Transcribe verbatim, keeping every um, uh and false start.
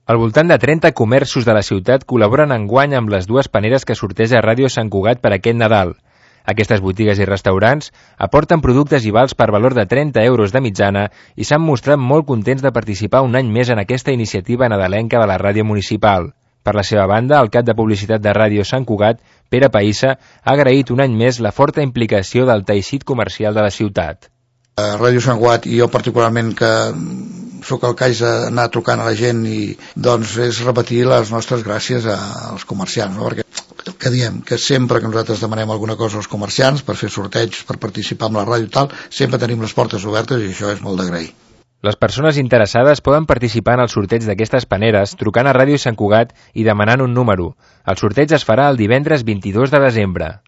Al voltant de trenta comerços de la ciutat col·laboren enguany amb les dues paneres que sorteja Ràdio Sant Cugat per aquest Nadal. Aquestes botigues i restaurants aporten productes i vals per valor de trenta euros de mitjana i s'han mostrat molt contents de participar un any més en aquesta iniciativa nadalenca de la ràdio municipal. Per la seva banda, el cap de publicitat de Ràdio Sant Cugat, Pere Païssa, ha agraït un any més la forta implicació del teixit comercial de la ciutat. Ràdio Sant Cugat, i jo particularment que sóc el que haig d'anar trucant a la gent, i doncs és repetir les nostres gràcies als comerciants, no? Perquè el que diem, que sempre que nosaltres demanem alguna cosa als comerciants per fer sorteigs, per participar en la ràdio i tal, sempre tenim les portes obertes i això és molt d'agrair. Les persones interessades poden participar en el sorteig d'aquestes paneres trucant a Ràdio Sant Cugat i demanant un número. El sorteig es farà el divendres vint-i-dos de desembre.